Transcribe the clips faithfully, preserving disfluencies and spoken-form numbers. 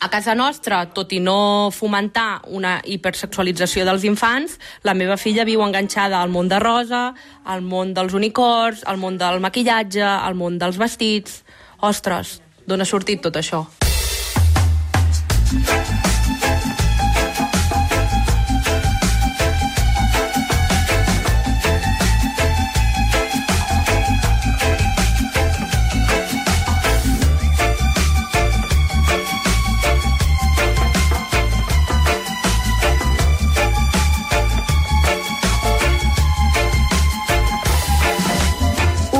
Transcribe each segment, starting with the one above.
A casa nostra, tot i no fomentar una hipersexualització dels infants, la meva filla viu enganxada al món de rosa, al món dels unicorns, al món del maquillatge, al món dels vestits... Ostres, d'on ha sortit tot això?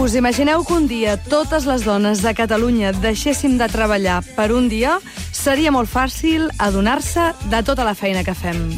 Us imagineu que un dia totes les dones de Catalunya deixéssim de treballar per un dia? Seria molt fàcil adonar-se de tota la feina que fem.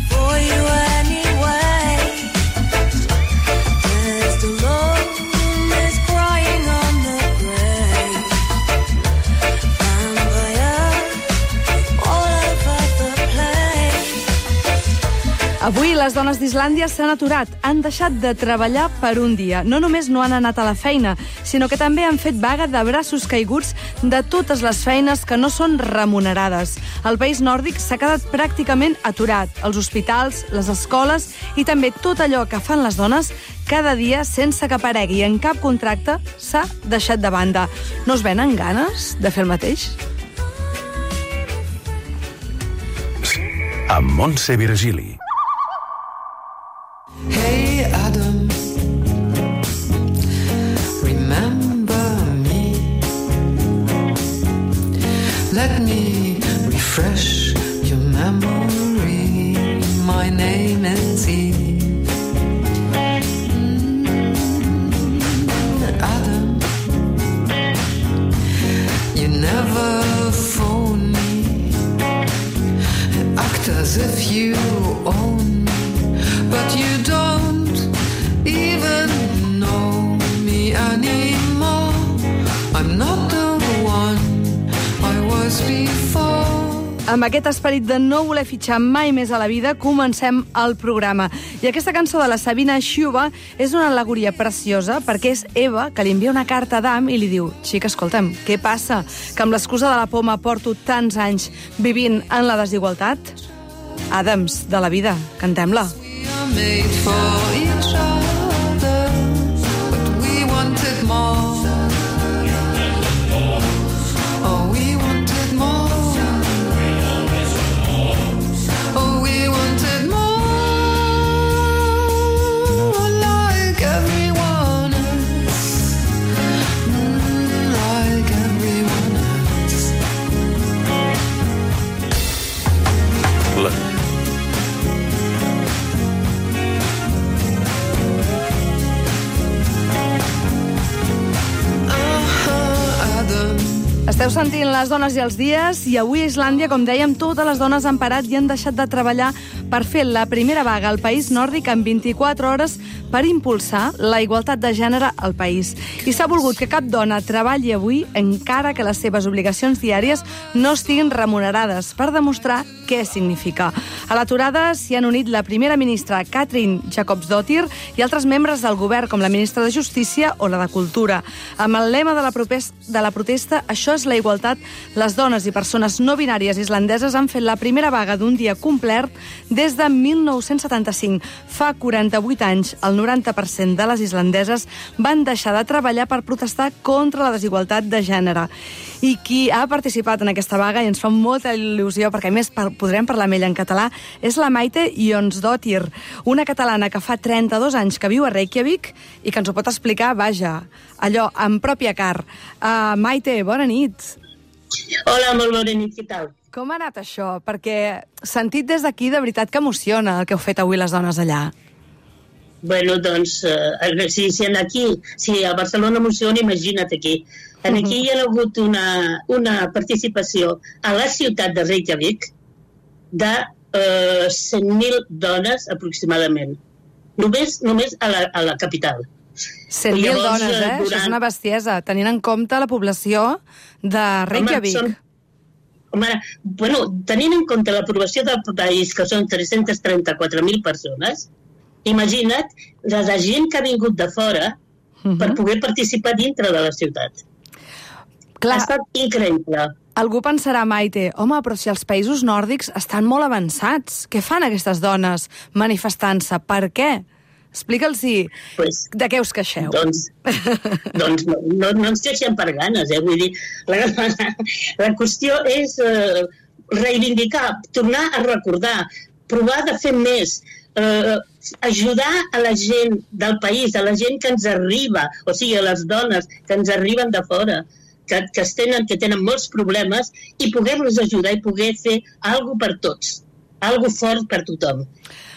Avui les dones d'Islàndia s'han aturat, han deixat de treballar per un dia. No només no han anat a la feina, sinó que també han fet vaga de braços caiguts de totes les feines que no són remunerades. El país nòrdic s'ha quedat pràcticament aturat. Els hospitals, les escoles i també tot allò que fan les dones cada dia sense que aparegui en cap contracte s'ha deixat de banda. No us venen ganes de fer el mateix? Amb Montse Virgili. Hey Adam, remember me. Let me refresh your memory. My name is Eve. Adam, you never phone me. Act as if you own me. But you don't even know me anymore. I'm not the one I was before. Amb aquest esperit de no voler fitxar mai més a la vida, comencem el programa. I aquesta cançó de la Sabina Xuba és una al·legoria preciosa perquè és Eva que li envia una carta a Adam i li diu: xica, escolta'm, què passa? Que amb l'excusa de la poma porto tants anys vivint en la desigualtat? Adams, de la vida, cantem-la. Made for each other, but we wanted more. Oh, we wanted more. Oh, we wanted more, like everyone else, mm, like everyone else. La... Esteu sentint Les dones i els dies i avui a Islàndia, com dèiem, totes les dones han parat i han deixat de treballar per fer la primera vaga al país nòrdic en vint-i-quatre hores per impulsar la igualtat de gènere al país. I s'ha volgut que cap dona treballi avui encara que les seves obligacions diàries no estiguin remunerades per demostrar què significa. A l'aturada s'hi han unit la primera ministra Katrín Jakobsdóttir i altres membres del govern com la ministra de Justícia o la de Cultura. Amb el lema de la, de la protesta "Això és la igualtat", les dones i persones no binàries islandeses han fet la primera vaga d'un dia complet des de mil nou-cents setanta-cinc. Fa quaranta-vuit anys, el noranta per cent de les islandeses van deixar de treballar per protestar contra la desigualtat de gènere. I qui ha participat en aquesta vaga, i ens fa molta il·lusió, perquè a més podrem parlar amb ella en català, és la Maite Jónsdóttir, una catalana que fa trenta-dos anys que viu a Reykjavik i que ens ho pot explicar, vaja, allò, en pròpia car. Uh, Maite, bona nit. Hola, molt bona nit, què tal? Com ha anat això? Perquè sentit des d'aquí, de veritat que emociona el que heu fet avui les dones allà. Bueno, doncs, eh, si, si aquí, si a Barcelona emociona, imagina't aquí. En aquí hi ha hagut una, una participació a la ciutat de Reykjavik de eh, cent mil dones aproximadament. Només, només a, la, a la capital. cent mil dones, eh? Durant... Això és una bestiesa, tenint en compte la població de Reykjavik. Home, són... Home, bueno, tenint en compte l'aprovació del país, que són tres-cents trenta-quatre mil persones, imagina't la de gent que ha vingut de fora uh-huh. per poder participar dintre de la ciutat. Clar. Ha estat increïble. Algú pensarà, Maite, home, però si els països nòrdics estan molt avançats, què fan aquestes dones manifestant-se? Per què? Explica'ls-hi Pues, de què us queixeu. Doncs, doncs no, no, no ens queixem per ganes, eh? Vull dir, la, la, la qüestió és eh, reivindicar, tornar a recordar, provar de fer més, eh, ajudar a la gent del país, a la gent que ens arriba, o sigui, a les dones que ens arriben de fora, que, que, es tenen, que tenen molts problemes, i poder-los ajudar i poder fer alguna per tots, alguna fort per tothom.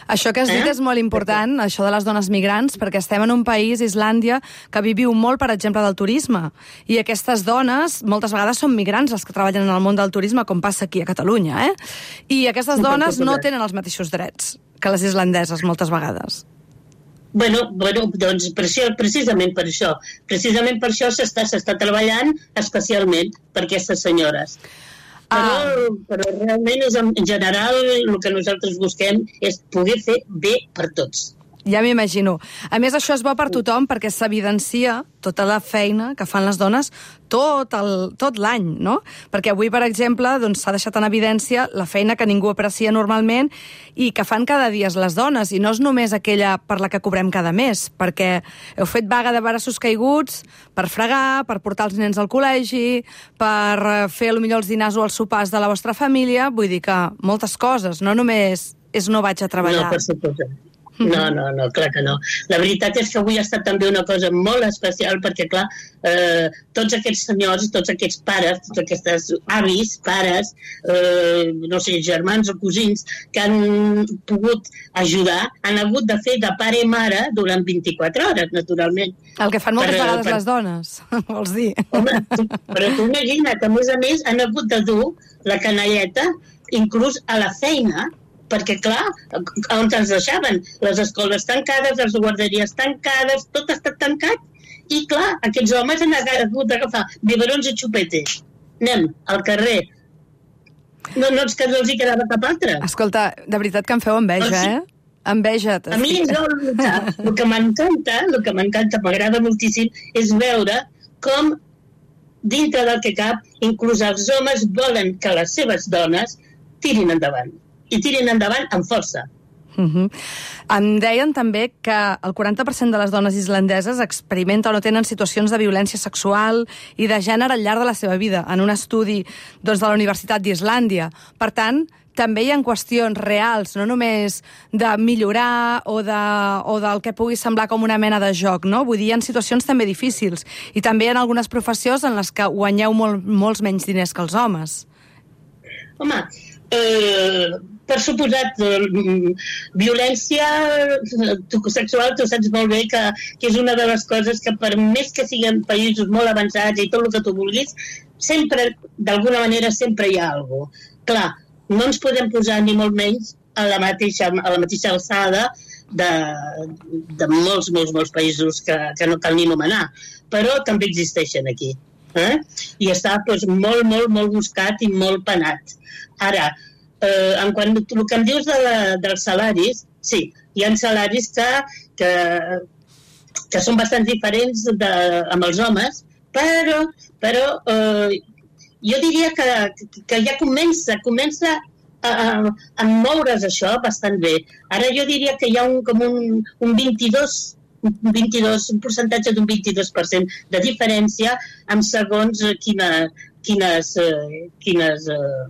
Això que has dit Eh? és molt important, això de les dones migrants, perquè estem en un país, Islàndia, que viviu molt, per exemple, del turisme. I aquestes dones, moltes vegades són migrants, les que treballen en el món del turisme, com passa aquí a Catalunya, eh? I aquestes dones no tenen els mateixos drets que les islandeses, moltes vegades. Bueno, bueno, doncs per això, precisament per això. Precisament per això s'està s'està treballant especialment per aquestes senyores. Però, Ah. però realment és, en general el que nosaltres busquem és poder fer bé per tots. Ja m'imagino. A més, això és bo per tothom perquè s'evidencia tota la feina que fan les dones tot el- tot l'any, no? Perquè avui, per exemple, doncs, s'ha deixat en evidència la feina que ningú aprecia normalment i que fan cada dia les dones, i no és només aquella per la que cobrem cada mes, perquè heu fet vaga de braços caiguts per fregar, per portar els nens al col·legi, per eh, fer potser els dinars o els sopars de la vostra família, vull dir que moltes coses, no només és no vaig a treballar. No, per suposat. No, no, no, clar que no. La veritat és que avui ha estat també una cosa molt especial perquè, clar, eh, tots aquests senyors, tots aquests pares, tots aquests avis, pares, eh, no sé, germans o cosins, que han pogut ajudar, han hagut de fer de pare i mare durant vint-i-quatre hores, naturalment. El que fan moltes Per- vegades per- les dones, vols dir? Home, tu, però tu imagina't, a més a més, han hagut de dur la canalleta inclús a la feina, perquè, clar, on ens deixaven? Les escoles tancades, les guarderies tancades, tot està tancat. I, clar, aquests homes han hagut d'agafar biberons i xupetes. Anem al carrer. No, no, és que no els hi quedava cap altre. Escolta, de veritat que em feu enveja, Ah, sí? eh? Enveja. A mi jo, el que m'encanta, el que m'encanta, m'agrada moltíssim, és veure com, dintre del que cap, inclús els homes volen que les seves dones tirin endavant. I tirin endavant amb força. Uh -huh. Em deien també que el quaranta per cent de les dones islandeses experimenten o tenen situacions de violència sexual i de gènere al llarg de la seva vida, en un estudi doncs, de la Universitat d'Islàndia. Per tant, també hi ha qüestions reals, no només de millorar o, de, o del que pugui semblar com una mena de joc, no? Vull dir, hi ha situacions també difícils. I també hi ha algunes professions en les que guanyeu molt, molts menys diners que els homes. Home, eh, per suposat, eh, violència sexual, tu saps molt bé que, que és una de les coses que, per més que siguin països molt avançats i tot el que tu vulguis, sempre, d'alguna manera, sempre hi ha alguna cosa. Clar, no ens podem posar ni molt menys a la mateixa, a la mateixa alçada de, de molts, molts, molts països que, que no cal ni anomenar, però també existeixen aquí. Eh? I està doncs, molt, molt, molt buscat i molt penat. Ara, eh, en quant el que em dius de la, dels salaris, sí, hi ha salaris que, que, que són bastant diferents de, amb els homes, però, però eh, jo diria que, que ja comença, comença a, a, a moure's això bastant bé. Ara jo diria que hi ha un, com un, un vint-i-dos un vint-i-dos, un percentatge d'un vint-i-dos per cent de diferència amb segons quina, quines, eh, quines, eh,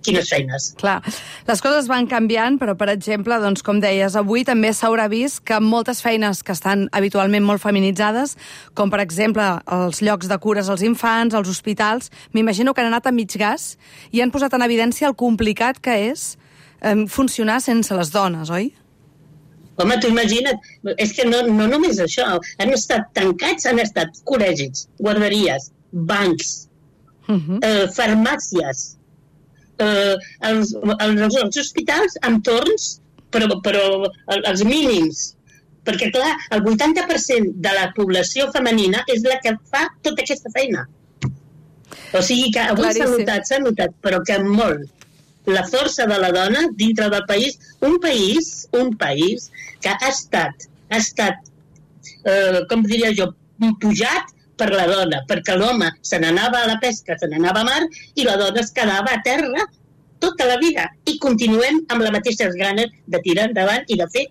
quines feines. Clar, les coses van canviant, però, per exemple, doncs, com deies, avui també s'haurà vist que moltes feines que estan habitualment molt feminitzades, com, per exemple, els llocs de cures als infants, els hospitals, m'imagino que han anat a mig gas i han posat en evidència el complicat que és eh, funcionar sense les dones, oi? Home, tu imagina't, és que no, no només això, han estat tancats, han estat col·legis, guarderies, bancs, Uh-huh. eh, farmàcies, eh, els, els, els hospitals amb torns, però, però els mínims. Perquè, clar, el vuitanta per cent de la població femenina és la que fa tota aquesta feina. O sigui que avui s'ha Claríssim. notat, s'ha notat, però que molt. La força de la dona dintre del país, un país, un país que ha estat, ha estat, eh, com diria jo, pujat per la dona, perquè l'home se n'anava a la pesca, se n'anava a mar, i la dona es quedava a terra tota la vida. I continuem amb les mateixes ganes de tirar endavant i de fer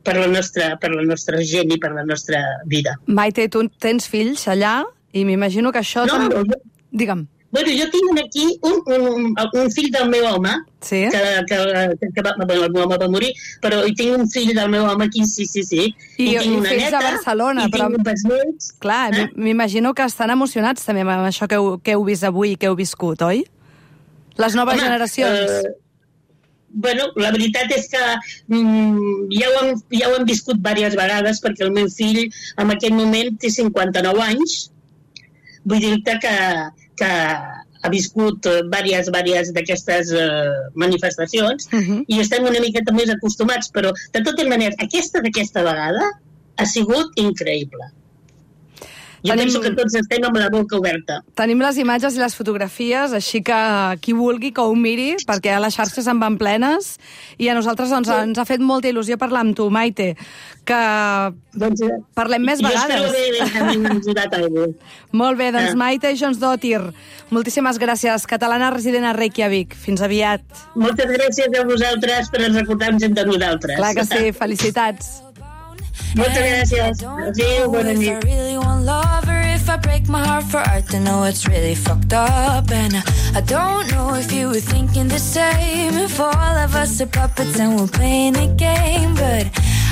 per la nostra, per la nostra gent i per la nostra vida. Maite, tu tens fills allà i m'imagino que això... No, tam- no, jo- Digue'm. Bueno, jo tinc aquí un, un, un fill del meu home, Sí? que, que, que va, bueno, el meu home va morir, però hi tinc un fill del meu home aquí, sí, sí, sí. I- tinc i una fills a neta, Barcelona, i però- tinc un besnets. Clar, Eh? m- m'imagino que estan emocionats també amb això que heu, que heu vist avui i que heu viscut, oi? Les noves Home, generacions. Eh, bueno, la veritat és que mm, ja, ho hem, ja ho hem viscut diverses vegades, perquè el meu fill en aquest moment té cinquanta-nou anys. Vull dir-te que, que ha viscut eh, diverses, diverses d'aquestes eh, manifestacions Uh -huh. i estem una miqueta més acostumats, però de totes maneres, aquesta d'aquesta vegada ha sigut increïble. Jo Tenim- penso que tots estem amb la boca oberta. Tenim les imatges i les fotografies, així que qui vulgui que ho miri, perquè a les xarxes en van plenes, i a nosaltres doncs, ens ha fet molta il·lusió parlar amb tu, Maite, que Doncs, eh, parlem més jo vegades. espero haver ajudat a algú. Molt bé, doncs Ah. Maite Jonsdottir, moltíssimes gràcies, catalana resident a Reykjavik. Fins aviat. Moltes gràcies a vosaltres per recordar-nos de nosaltres. Clar que sí, felicitats. Moltes gràcies. Adéu, bona If I nit. really want love or if I break my heart for art, then know it's really fucked up. And I, I don't know if you were thinking the same. If all of us are puppets and we're playing a game, but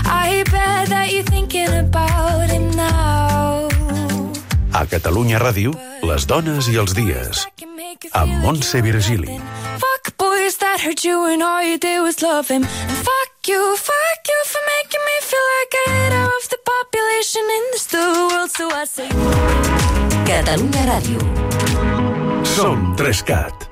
I bet that you're thinking about him now. A Catalunya Ràdio, les dones i els dies. Amb Montse Virgili. Fuck boys that hurt you and all you did was love him. And fuck you, fuck you for making me feel like I ate half the population in this the world, so I say Catalunya Ràdio. Som Trescat.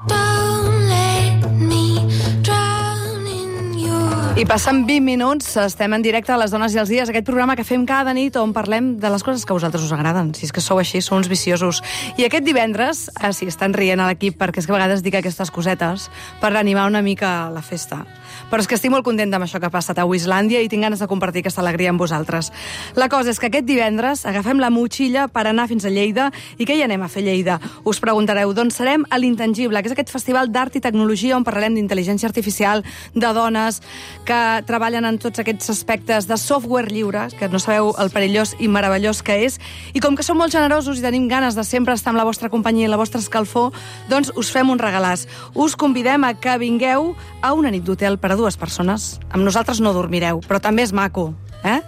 don't let me drown in your... I passant vint minuts, estem en directe a Les Dones i els Dies, aquest programa que fem cada nit on parlem de les coses que a vosaltres us agraden. Si és que sou així, sou uns viciosos. I aquest divendres, ah, sí, estan rient a l'equip perquè és que a vegades dic aquestes cosetes per animar una mica la festa. Però és que estic molt contenta amb això que ha passat a Islàndia i tinc ganes de compartir aquesta alegria amb vosaltres. La cosa és que aquest divendres agafem la motxilla per anar fins a Lleida. I què hi anem a fer a Lleida? Us preguntareu, doncs serem a l'Intangible, que és aquest festival d'art i tecnologia on parlarem d'intel·ligència artificial, de dones que treballen en tots aquests aspectes de software lliure, que no sabeu el perillós i meravellós que és. I com que som molt generosos i tenim ganes de sempre estar amb la vostra companyia i la vostra escalfor, doncs us fem un regalàs. Us convidem a que vingueu a una nit d'hotel per a dues persones. Amb nosaltres no dormireu, però també és maco, eh?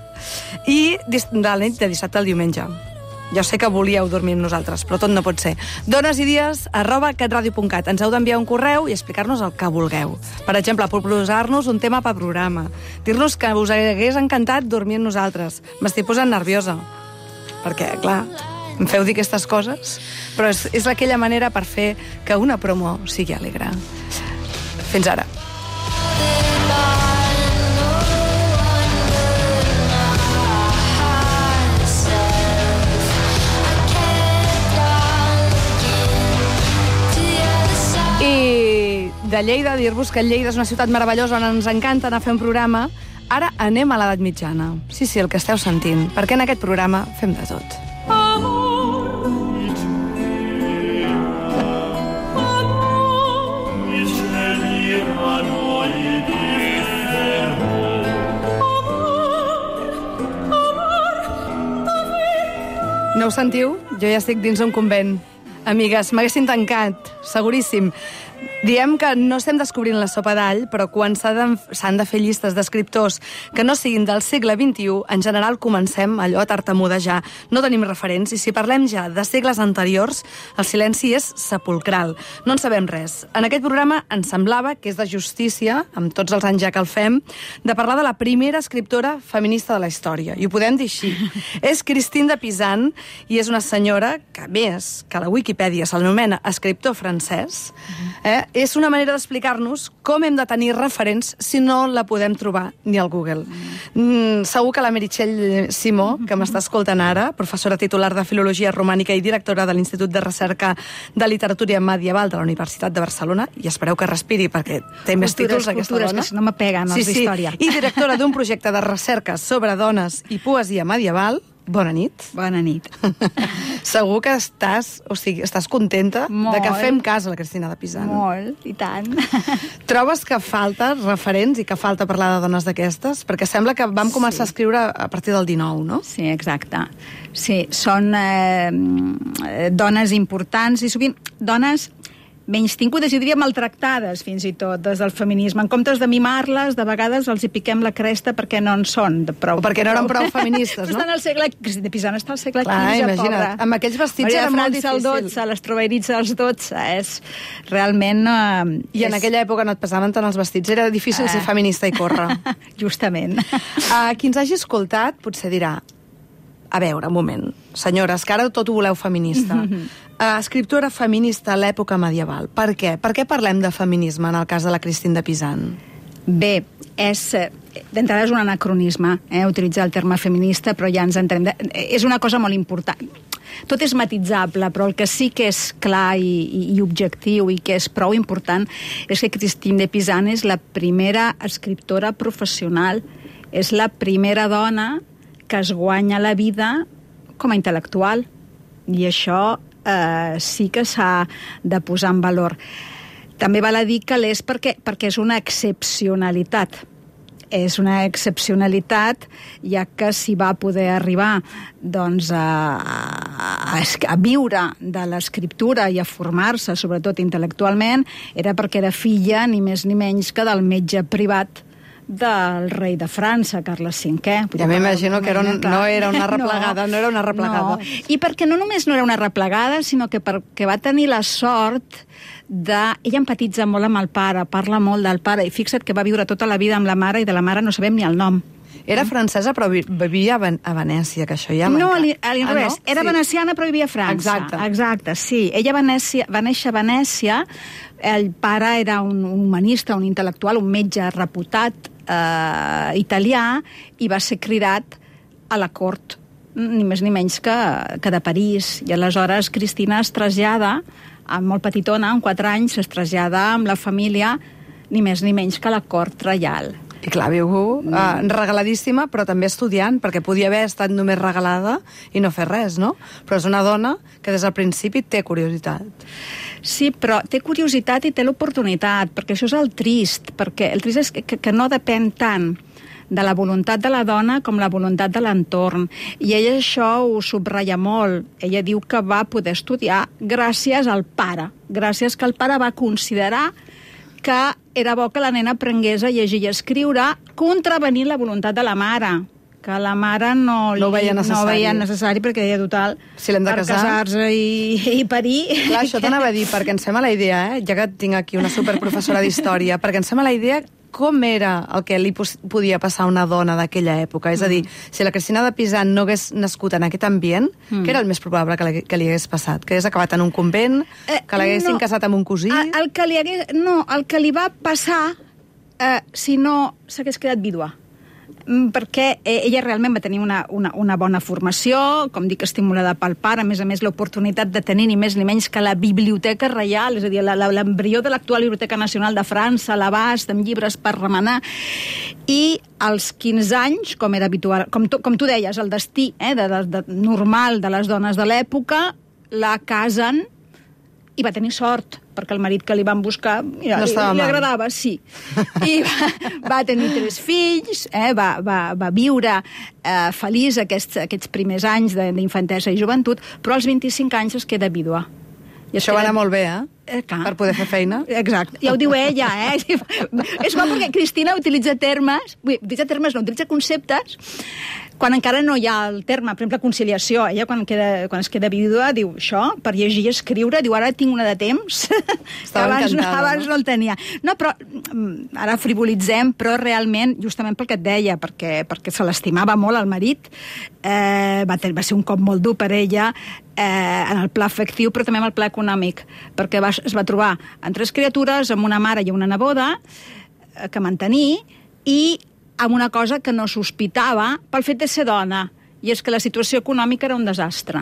I dis- de la nit de dissabte al diumenge. Jo sé que volíeu dormir amb nosaltres, però tot no pot ser. Dones i dies, arroba catradio punt cat. Ens heu d'enviar un correu i explicar-nos el que vulgueu. Per exemple, proposar-nos un tema per programa. Dir-nos que us hagués encantat dormir amb nosaltres. M'estic posant nerviosa. Perquè, clar, em feu dir aquestes coses, però és, és aquella manera per fer que una promo sigui alegre. Fins ara. I de Lleida, dir-vos que Lleida és una ciutat meravellosa on ens encanta anar a fer un programa. Ara anem a l'edat mitjana. Sí, sí, el que esteu sentint, perquè en aquest programa fem de tot. No ho sentiu? Jo ja estic dins un convent. Amigues, m'haguessin tancat, seguríssim. Diem que no estem descobrint la sopa d'all, però quan s'han de, s'han de fer llistes d'escriptors que no siguin del segle vint-i-u, en general comencem allò a tartamudejar. No tenim referents, i si parlem ja de segles anteriors, el silenci és sepulcral. No en sabem res. En aquest programa ens semblava que és de justícia, amb tots els anys ja que el fem, de parlar de la primera escriptora feminista de la història. I ho podem dir així. És Christine de Pizan, i és una senyora que, a més, que a la Wikipedia s'anomena escriptor francès, eh? És una manera d'explicar-nos com hem de tenir referents si no la podem trobar ni al Google. Mm, segur que la Meritxell Simó, que m'està escoltant ara, professora titular de Filologia Romànica i directora de l'Institut de Recerca de Literatura Medieval de la Universitat de Barcelona, i espereu que respiri perquè té més Cultures, títols aquesta cultures, dona. que si no m'apeguen els sí, sí. d'història. I directora d'un projecte de recerca sobre dones i poesia medieval. Bona nit. Bona nit. Segur que estàs, o sigui, estàs contenta Molt. de que fem cas a la Cristina de Pisan. Molt, i tant. Trobes que falta referents i que falta parlar de dones d'aquestes? Perquè sembla que vam començar sí. a escriure a partir del dinou, no? Sí, exacte. Sí, són eh, dones importants i sovint dones menystingudes, jo diria maltractades fins i tot des del feminisme. En comptes de mimar-les, de vegades els hi piquem la cresta perquè no en són de prou. O perquè no eren prou feministes, no? Estan al segle... Cristina de Pisan està al segle Clar, quinze, imagina't. pobra. Amb aquells vestits Maria era de molt França al difícil. dotze, les troveritz als dotze, és realment... Eh, I en és... aquella època no et pesaven tant els vestits, era difícil Eh. ser feminista i córrer. Justament. Uh, qui ens hagi escoltat potser dirà, a veure, un moment, senyores, que ara tot ho voleu feminista. Uh, escriptora feminista a l'època medieval. Per què? Per què parlem de feminisme en el cas de la Cristina de Pisan? Bé, és... D'entrada és un anacronisme, eh, utilitzar el terme feminista, però ja ens entrem... De, és una cosa molt important. Tot és matitzable, però el que sí que és clar i, i, i objectiu i que és prou important és que Cristina de Pisan és la primera escriptora professional, és la primera dona que es guanya la vida com a intel·lectual. I això eh, sí que s'ha de posar en valor. També val a dir que l'és perquè, perquè és una excepcionalitat. És una excepcionalitat, ja que s'hi va poder arribar doncs, a, a, a viure de l'escriptura i a formar-se, sobretot intel·lectualment, era perquè era filla, ni més ni menys, que del metge privat del rei de França, Carles cinquè. Ja m'imagino que era un, no era una replegada, no, no era una replegada. No. I perquè no només no era una replegada, sinó que perquè va tenir la sort de... Ella empatitza molt amb el pare, parla molt del pare, i fixa't que va viure tota la vida amb la mare, i de la mare no sabem ni el nom. Era francesa, però vivia a, Ven a Venècia, que això ja No, m'enca- a l'inrevés. Ah, no? Era Sí. veneciana, però vivia a França. Exacte. Exacte, sí. Ella va néixer, va néixer a Venècia, el pare era un, un humanista, un intel·lectual, un metge reputat eh, italià, i va ser cridat a la cort, ni més ni menys que, que de París. I aleshores Cristina es trasllada, amb molt petitona, amb quatre anys, es trasllada amb la família, ni més ni menys que a la cort reial. I clar, viu uh, regaladíssima, però també estudiant, perquè podia haver estat només regalada i no fer res, no? Però és una dona que des del principi té curiositat. Sí, però té curiositat i té l'oportunitat, perquè això és el trist, perquè el trist és que, que, que no depèn tant de la voluntat de la dona com la voluntat de l'entorn. I ella això ho subratlla molt. Ella diu que va poder estudiar gràcies al pare, gràcies que el pare va considerar que era bo que la nena aprengués a llegir i a escriure, contravenint la voluntat de la mare, que la mare no, li, No ho veia necessari. no veia necessari perquè deia total, Si l'hem de per casar. casar-se i, i parir. Clar, això t'anava a dir, perquè ens fem a la idea, eh? Ja que tinc aquí una superprofessora d'història, perquè ens fem a la idea com era el que li pos- podia passar a una dona d'aquella època. És a dir, si la Cristina de Pisan no hagués nascut en aquest ambient, mm. què era el més probable que li, que li hagués passat? Que hagués acabat en un convent? Eh, Que l'haguessin no. casat amb un cosí? El, el que li hagués, no, el que li va passar eh, si no s'hagués quedat vídua. Mm, perquè eh, ella realment va tenir una, una, una bona formació, com dic, estimulada pel pare, a més a més l'oportunitat de tenir ni més ni menys que la Biblioteca Reial, és a dir, la- la- l'embrió de l'actual Biblioteca Nacional de França, a l'abast, amb llibres per remenar, i als quinze anys, com era habitual, com tu, com tu deies, el destí eh, de, de, de, normal de les dones de l'època, la casen i va tenir sort, perquè el marit que li van buscar mira, No li, estava li mal. agradava, sí. I va, va tenir tres fills, eh, va, va, va viure eh, feliç aquests, aquests primers anys de- d'infantesa i joventut, però als vint-i-cinc anys es queda vídua. I es Això va queda- anar molt bé, eh? Eh, clar. Per poder fer feina. Exacte, ja ho diu ella, eh? És bo perquè Cristina utilitza termes, vull, utilitza termes, no, utilitza conceptes, quan encara no hi ha el terme, per exemple, conciliació. Ella, quan, queda, quan es queda vídua, diu això, per llegir i escriure, diu, ara tinc una de temps, que abans, no, encantada, abans no? no el tenia. No, però mm, ara frivolitzem, però realment, justament pel que et deia, perquè, perquè se l'estimava molt el marit, eh, va, ten, va ser un cop molt dur per ella, eh, en el pla afectiu, però també en el pla econòmic, perquè va, es va trobar amb tres criatures, amb una mare i una neboda, eh, que mantenir, i amb una cosa que no sospitava pel fet de ser dona, i és que la situació econòmica era un desastre.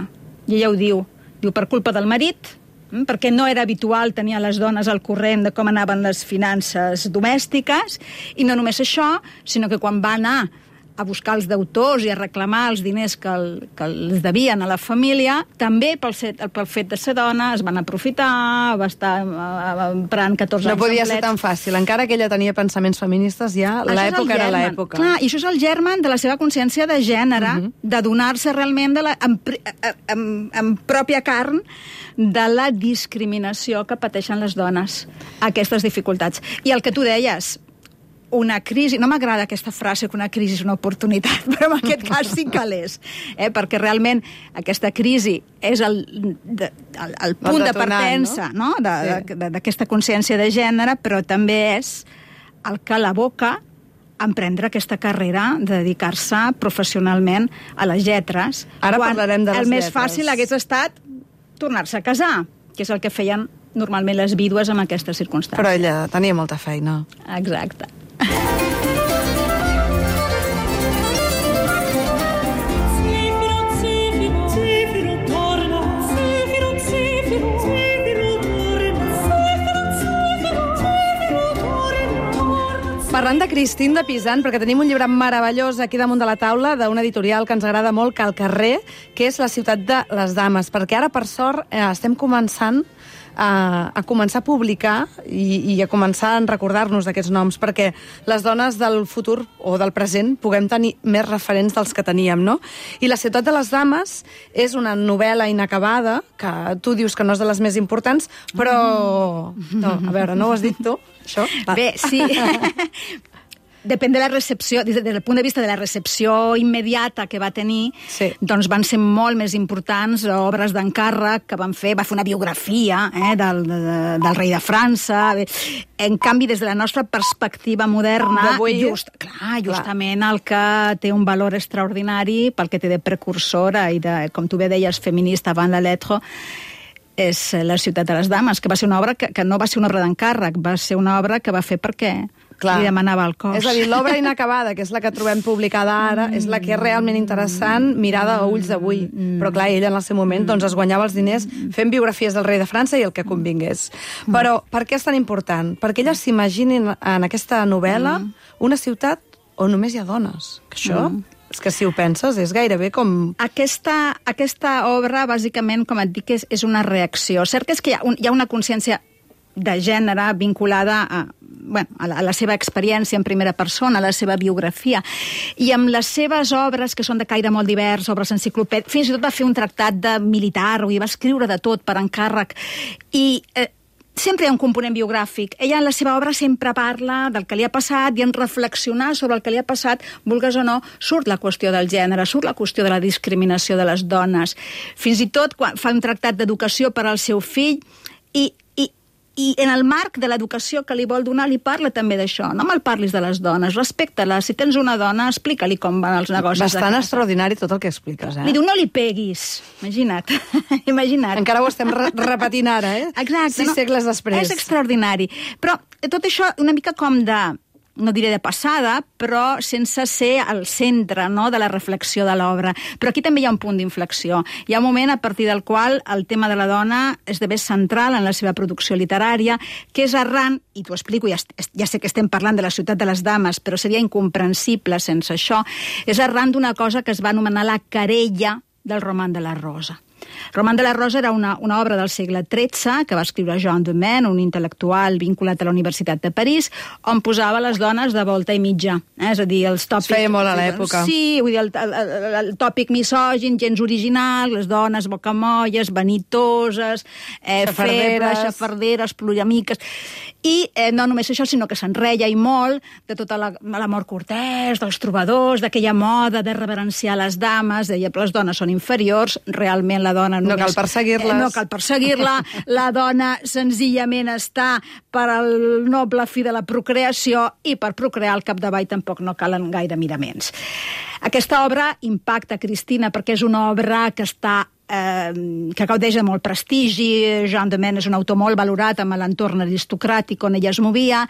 I ella ho diu. Diu, per culpa del marit, mm, perquè no era habitual tenir a les dones al corrent de com anaven les finances domèstiques, i no només això, sinó que quan va anar a buscar els deutors i a reclamar els diners que, el, que els devien a la família, també pel, set, pel fet de ser dona es van aprofitar, va estar uh, emprant catorze no anys podia ser complets. tan fàcil. Encara que ella tenia pensaments feministes, ja l'època era l'època. Clar, i això és el germen de la seva consciència de gènere, uh -huh. de donar-se realment de la, en, en, en pròpia carn de la discriminació que pateixen les dones, aquestes dificultats. I el que tu deies, una crisi, no m'agrada aquesta frase que una crisi és una oportunitat, però en aquest cas sí que l'és, eh? Perquè realment aquesta crisi és el, de, el, el punt de partença, no? Sí. D'aquesta consciència de gènere, però també és el que l'aboca a emprendre aquesta carrera de dedicar-se professionalment a les lletres. Ara parlarem de les el més lletres. fàcil hagués estat tornar-se a casar, que és el que feien normalment les vídues en aquestes circumstàncies. Però ella tenia molta feina. Exacte. Parlant de Christine de Pisan, perquè tenim un llibre meravellós aquí damunt de la taula d'una editorial que ens agrada molt, que al carrer, que és La ciutat de les dames, perquè ara, per sort, eh, estem començant a, a començar a publicar i, i a començar a recordar-nos d'aquests noms, perquè les dones del futur o del present puguem tenir més referents dels que teníem, no? I La ciutat de les dames és una novel·la inacabada, que tu dius que no és de les més importants, però... No, a veure, no ho has dit tu, això? Va. Bé, sí. Depèn de la recepció, des del punt de vista de la recepció immediata que va tenir, sí. Doncs van ser molt més importants obres d'encàrrec que van fer, va fer una biografia eh, del, de, del rei de França. En canvi, des de la nostra perspectiva moderna, just, clar, justament clar. El que té un valor extraordinari pel que té de precursora i de, com tu bé deies, feminista avant la lettre, és La ciutat de les dames, que va ser una obra que, que no va ser una obra d'encàrrec, va ser una obra que va fer perquè clar. Li demanava el cos. És a dir, l'obra inacabada, que és la que trobem publicada ara, mm. és la que és realment interessant mirada a ulls d'avui. Mm. Però clar, ella en el seu moment doncs, es guanyava els diners fent biografies del rei de França i el que convingués. Mm. Però per què és tan important? Perquè elles s'imaginin en aquesta novel·la mm. una ciutat on només hi ha dones. Que això... Mm. És que si ho penses, és gairebé com... Aquesta, aquesta obra, bàsicament, com et dic, és, és una reacció. Cert és que hi ha, un, hi ha una consciència de gènere vinculada a, bueno, a, la, a la seva experiència en primera persona, a la seva biografia. I amb les seves obres, que són de caire molt divers, obres enciclopèdiques, fins i tot va fer un tractat de militar, i va escriure de tot per encàrrec. I... Eh, sempre hi ha un component biogràfic. Ella en la seva obra sempre parla del que li ha passat i en reflexionar sobre el que li ha passat, vulgues o no, surt la qüestió del gènere, surt la qüestió de la discriminació de les dones. Fins i tot quan fa un tractat d'educació per al seu fill i I en el marc de l'educació que li vol donar li parla també d'això. No me'l parlis de les dones, respecta-la. Si tens una dona, explica-li com van els negocis. Bastant extraordinari tot el que expliques, eh? Li diu, no li peguis. Imagina't. Imagina't. Encara ho estem re repetint ara, eh? Exacte. Sis no? segles després. És extraordinari. Però tot això una mica com de... no diré de passada, però sense ser al centre, no?, de la reflexió de l'obra. Però aquí també hi ha un punt d'inflexió. Hi ha un moment a partir del qual el tema de la dona esdevé central en la seva producció literària, que és arran, i t'ho explico, ja, ja sé que estem parlant de La ciutat de les dames, però seria incomprensible sense això, és arran d'una cosa que es va anomenar la querella del roman de la Rosa. Roman de la Rosa era una, una obra del segle tretze que va escriure Jean de Maine, un intel·lectual vinculat a la Universitat de París, on posava les dones de volta i mitja. Eh? És a dir, els tòpics... Es feia molt a l'època. Sí, vull dir, el, el, el, el tòpic misògin, gens original, les dones bocamolles, vanitoses, eh, febles, xafarderes, ploramiques... I eh, no només això, sinó que s'enreia i molt de tota l'amor cortès, dels trobadors, d'aquella moda de reverenciar les dames, deia, però les dones són inferiors, realment la dona només... No cal perseguir-les. Eh, no cal perseguir-la, la dona senzillament està per al noble fi de la procreació i per procrear al capdavall tampoc no calen gaire miraments. Aquesta obra impacta Cristina perquè és una obra que està Eh, que gaudeix de molt prestigi. Jean de Maine és un autor molt valorat amb l'entorn aristocràtic on ella es movia,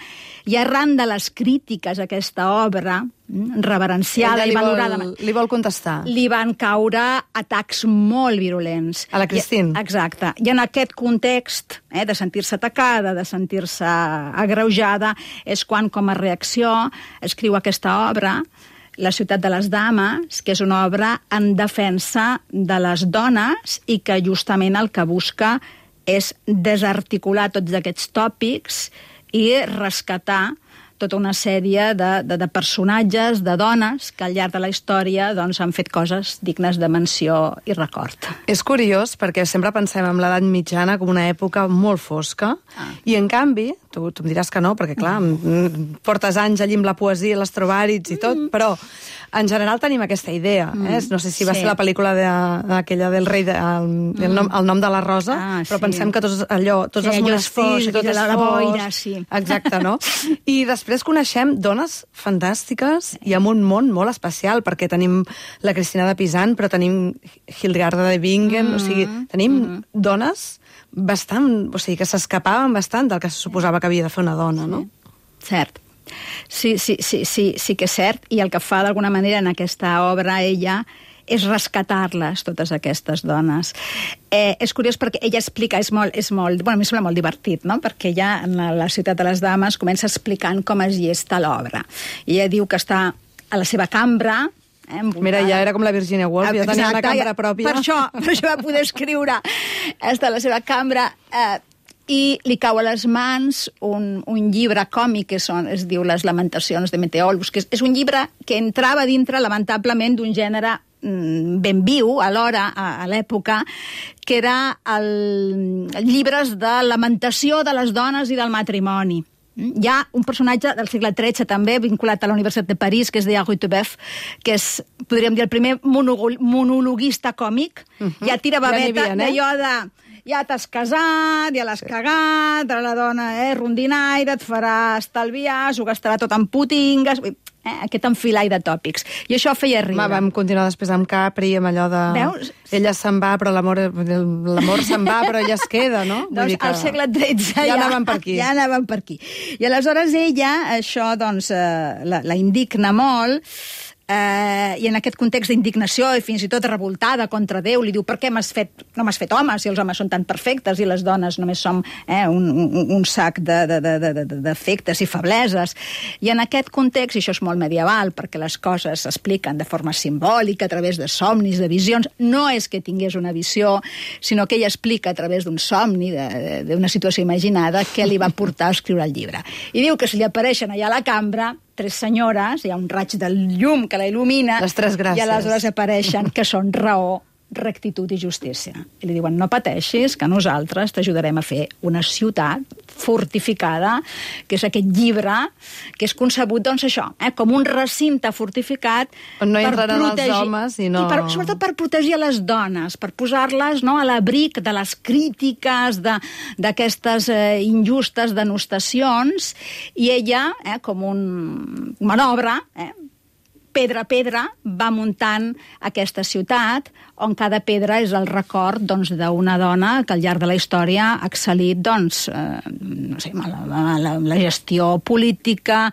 i arran de les crítiques a aquesta obra reverenciada i valorada, vol, li vol contestar. Li van caure atacs molt virulents. A la Christine. I, exacte. I en aquest context eh, de sentir-se atacada, de sentir-se agreujada, és quan, com a reacció, escriu aquesta obra La ciutat de les dames, que és una obra en defensa de les dones i que justament el que busca és desarticular tots aquests tòpics i rescatar tota una sèrie de, de, de personatges, de dones, que al llarg de la història doncs, han fet coses dignes de menció i record. És curiós perquè sempre pensem en l'edat mitjana com una època molt fosca ah. i en canvi, tu, tu em diràs que no, perquè clar, mm. portes anys allí amb la poesia, l'estrobàrits i tot, mm. però en general tenim aquesta idea. Mm. Eh? No sé si va sí. ser la pel·lícula de, aquella del rei, de, el, mm. el, nom, el nom de la rosa, ah, però sí. pensem que tots, allò, tots sí, els monestirs i tot és la boira, sí. Exacte, no? I després coneixem dones fantàstiques i amb un món molt especial, perquè tenim la Cristina de Pisan, però tenim Hildegarda de Bingen, mm. o sigui, tenim mm. dones bastant, o sigui, que s'escapaven bastant del que se suposava que havia de fer una dona, no? Cert. Sí, sí, sí, sí, sí que és cert, i el que fa d'alguna manera en aquesta obra ella és rescatar-les, totes aquestes dones. Eh, és curiós perquè ella explica, és molt, és molt, bueno, a mi sembla molt divertit, no? Perquè ella, en la, la ciutat de les dames, comença explicant com es gesta l'obra. I ella diu que està a la seva cambra, Eh, Mira, ja era com la Virginia Woolf, ja tenia una cambra pròpia. Per això, per això va poder escriure. Està a la seva cambra eh, i li cau a les mans un, un llibre còmic que són, es diu Les lamentacions de Meteolus, que és, és un llibre que entrava dintre, lamentablement, d'un gènere mm, ben viu alhora, a, a l'època, que era el, el llibres de lamentació de les dones i del matrimoni. Hi ha un personatge del segle tretze també vinculat a la Universitat de París, que es deia Rutebeuf, que és, podríem dir, el primer monologuista còmic. Uh-huh. Ja tira babeta ja d'allò de... Ja t'has casat, ja l'has sí. cagat, la dona, eh, rondinaire, et farà estalviar, s'ho gastarà tot en putingues... Eh, aquest enfilall de tòpics. I això feia riure. Va, vam continuar després amb Capri, amb allò de... Veus? Ella se'n va, però l'amor l'amor se'n va, però ella es queda, no? Vull doncs dir que... al segle tretze ja, ja anaven per aquí. Ja anaven per aquí. I aleshores ella, això, doncs, eh, la, la indigna molt, eh, i en aquest context d'indignació i fins i tot revoltada contra Déu, li diu, per què m'has fet, no m'has fet home si els homes són tan perfectes i les dones només som eh, un, un, un sac de, de, de, de, de defectes i febleses. I en aquest context, i això és molt medieval, perquè les coses s'expliquen de forma simbòlica, a través de somnis, de visions, no és que tingués una visió, sinó que ella explica a través d'un somni, d'una situació imaginada, què li va portar a escriure el llibre. I diu que se li apareixen allà a la cambra tres senyores, hi ha un raig del llum que la il·lumina, les tres gràcies. I aleshores apareixen que són raó, rectitud i justícia. I li diuen, no pateixis, que nosaltres t'ajudarem a fer una ciutat fortificada, que és aquest llibre, que és concebut, doncs això, eh, com un recinte fortificat on no hi entraran els homes i no... I per, sobretot per protegir les dones, per posar-les, no, a l'abric de les crítiques, d'aquestes eh, injustes denostacions, i ella, eh, com un manobra, eh, pedra a pedra, va muntant aquesta ciutat, on cada pedra és el record doncs, d'una dona que al llarg de la història ha excel·lit doncs, eh, no sé, la, la, la gestió política,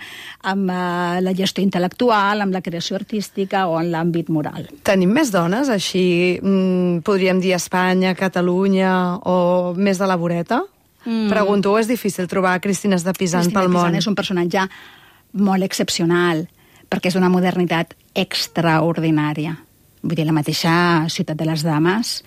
amb eh, la gestió intel·lectual, amb la creació artística o en l'àmbit moral. Tenim més dones, així, mm, podríem dir Espanya, Catalunya, o més de la voreta? Mm. Pregunto, és difícil trobar Cristines de Pisan Cristina pel món? Cristina de Pisan és un personatge molt excepcional, perquè és d'una modernitat extraordinària. Vull dir, la mateixa ciutat de les dames,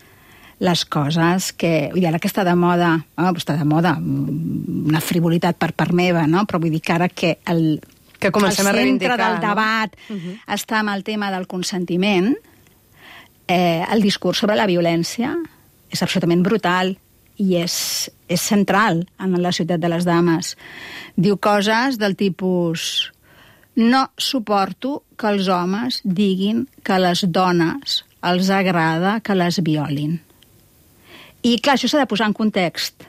les coses que... Vull dir, ara que està de moda, oh, està de moda, una frivolitat per part meva, no? Però vull dir que ara que el, que comencem el a centre del no? debat uh-huh. està amb el tema del consentiment, eh, el discurs sobre la violència és absolutament brutal i és, és central en la ciutat de les dames. Diu coses del tipus... No suporto que els homes diguin que a les dones els agrada que les violin. I, clar, això s'ha de posar en context.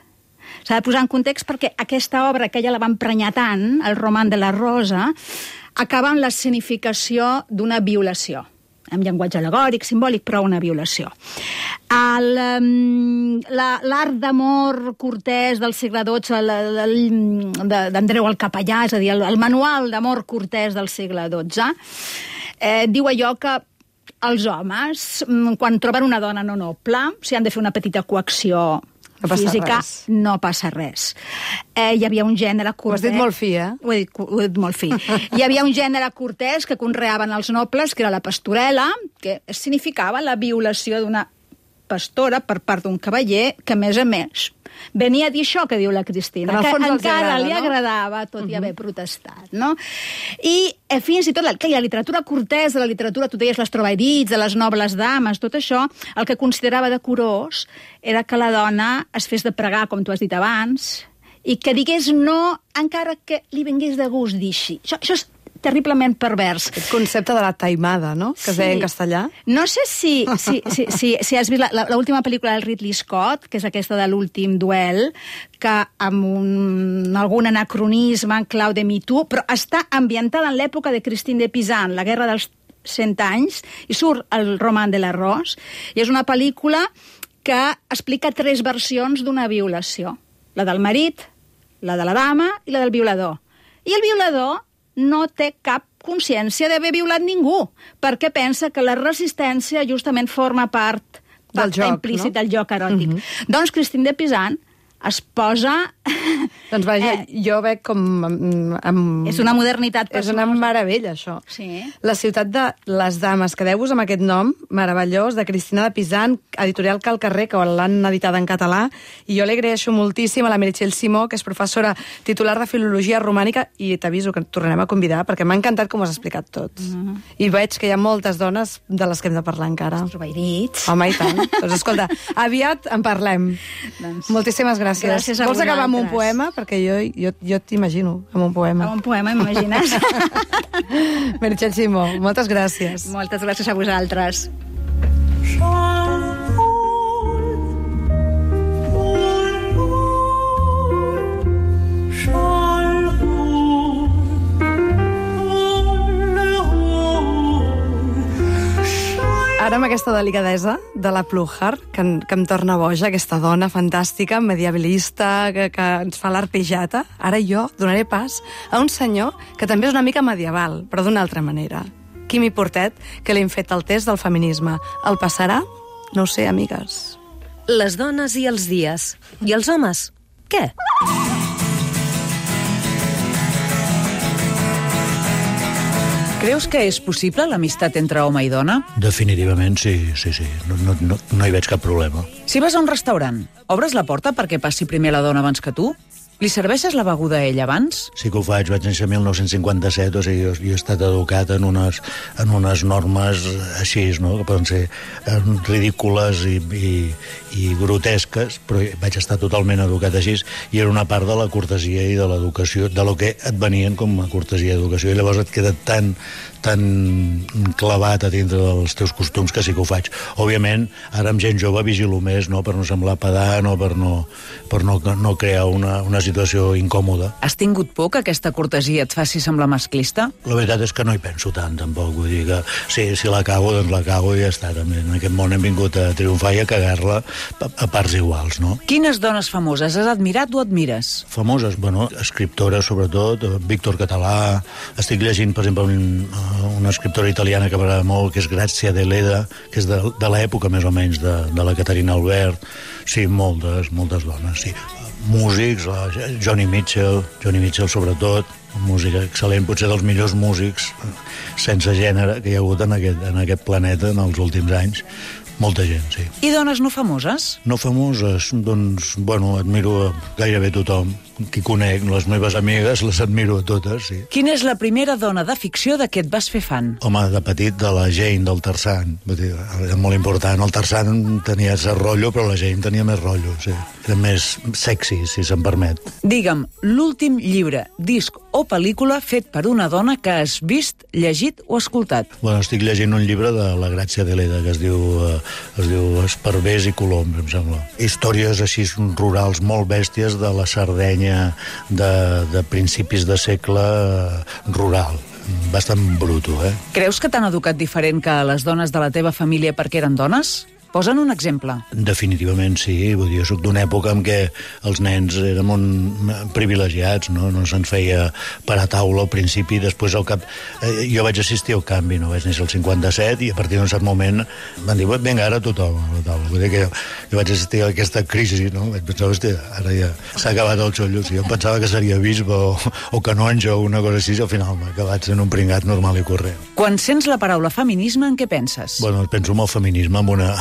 S'ha de posar en context perquè aquesta obra, que ella la va emprenyar tant, el Roman de la Rosa, acaba amb l'escenificació d'una violació. Amb llenguatge alegòric, simbòlic, però una violació. L'art d'amor cortès del segle dotze, d'Andreu el Capellà, és a dir, el, el manual d'amor cortès del segle dotze, eh, diu allò que els homes, quan troben una dona no noble, si han de fer una petita coacció No passa física, res. no passa res. Eh, hi havia un gènere Ho has cortès... dit molt fi, eh? Ho he dit, ho he dit molt fi. Hi havia un gènere cortès que conreaven els nobles, que era la pastorela, que significava la violació d'una pastora per part d'un cavaller, que, a més a més, venia a dir això que diu la Cristina, En el que fons els encara agrada, li no? agradava, tot i haver protestat, no? I eh, fins i tot la, que la literatura cortesa, la literatura, tu deies, les trobairits, de les nobles dames, tot això, el que considerava decorós era que la dona es fes de pregar, com tu has dit abans, i que digués no, encara que li vingués de gust dir així. Això, això és terriblement pervers. Aquest concepte de la taimada, no?, que es deia en castellà. No sé si, si, si, si, si has vist l'última pel·lícula del Ridley Scott, que és aquesta de l'últim duel, que amb un, algun anacronisme en clau de Me Too, però està ambientada en l'època de Christine de Pizan, la Guerra dels cent anys, i surt el roman de l'arròs, i és una pel·lícula que explica tres versions d'una violació. La del marit, la de la dama i la del violador. I el violador no té cap consciència d'haver violat ningú, perquè pensa que la resistència justament forma part del joc, implícit no? del joc eròtic. Mhm. Doncs Christine de Pizan es posa... Doncs vaja, Eh. jo veig com... Amb, amb... És una modernitat És una personosa. meravella, això. Sí. La ciutat de les dames, quedeu-vos amb aquest nom meravellós, de Cristina de Pizan, editorial Cal Carrer, que l'han editat en català, i jo li agraeixo moltíssim a la Meritxell Simó, que és professora titular de Filologia Romànica, i t'aviso que et tornarem a convidar, perquè m'ha encantat com ho has explicat tot. Mhm. I veig que hi ha moltes dones de les que hem de parlar encara. Trobairits. Home, i tant. Doncs escolta, aviat en parlem. Doncs, Moltíssimes gràcies. gràcies a Vols acabar amb un vosaltres. poema? Perquè jo, jo, jo t'imagino amb un poema. Amb un poema, m'imagines? Meritxell Simó, moltes gràcies. Moltes gràcies a vosaltres. Ara amb aquesta delicadesa de la Pluhar, que, em- que em torna boja, aquesta dona fantàstica, medievalista, que, que ens fa l'arpejata, ara jo donaré pas a un senyor que també és una mica medieval, però d'una altra manera. Quimi Portet, que li hem fet el test del feminisme. El passarà? No ho sé, amigues. Les dones i els dies. I els homes? Què? Creus que és possible l'amistat entre home i dona? Definitivament, sí, sí, sí. No, no, no, no hi veig cap problema. Si vas a un restaurant, obres la porta perquè passi primer la dona abans que tu? Li serveixes la beguda a ell abans? Sí que ho faig, vaig néixer mil nou-cents cinquanta-set, o sigui, jo, jo he estat educat en unes, en unes normes així, no?, que poden ser eh, ridícules i, i, i grotesques, però vaig estar totalment educat així, i era una part de la cortesia i de l'educació, de lo que et venien com a cortesia i educació, i llavors et queda tan, tan clavat a dintre dels teus costums que sí que ho faig. Òbviament, ara amb gent jove vigilo més, no?, per no semblar pedant o per no, per no, no crear una, una situació incòmoda. Has tingut por que aquesta cortesia et faci semblar masclista? La veritat és que no hi penso tant, tampoc. Vull dir que si, si la cago, doncs la cago i ja està. També en aquest món hem vingut a triomfar i a cagar-la a, a parts iguals, no? Quines dones famoses has admirat o admires? Famoses, bueno, escriptores, sobretot, Víctor Català. Estic llegint, per exemple, un, una escriptora italiana que m'agrada molt, que és Grazia Deledda, que és de, de l'època, més o menys, de, de la Caterina Albert. Sí, moltes, moltes dones, sí. Músics, la Johnny Mitchell, Johnny Mitchell sobretot, música excel·lent, potser dels millors músics sense gènere que hi ha hagut en aquest, en aquest planeta en els últims anys. Molta gent, sí. I dones no famoses? No famoses, doncs, bueno, admiro gairebé tothom. Qui conec, les meves amigues, les admiro a totes, sí. Quina és la primera dona de ficció de què et vas fer fan? Home, de petit, de la Jane, del Tarzan. Vull dir, era molt important. El Tarzan tenia ese rotllo, però la Jane tenia més rotllo, sí. Era més sexy, si se'm permet. Digue'm, l'últim llibre, disc o pel·lícula fet per una dona que has vist, llegit o escoltat. Bueno, estic llegint un llibre de la Grazia Deledda que es diu, eh, es diu Esparvers i Coloms, em sembla. Històries així rurals molt bèsties de la Sardenya de, de principis de segle rural. Bastant bruto, eh? Creus que t'han educat diferent que a les dones de la teva família perquè eren dones? Posen un exemple. Definitivament sí, vull dir, jo soc d'una època en què els nens érem un... privilegiats, no? No se'ns feia per a taula al principi, després al cap... Eh, jo vaig assistir al canvi, no? Vaig néixer al cinquanta-set i a partir d'un cert moment van dir, vinga, ara tothom a la taula. Vull dir que jo, jo vaig assistir a aquesta crisi, no? Vaig pensar, hòstia, ara ja s'ha acabat el xollo. Si jo pensava que seria bisbe o, o canonge o una cosa així, al final m'ha acabat sent un pringat normal i corrent. Quan sents la paraula feminisme, en què penses? Bueno, penso en el feminisme, amb una,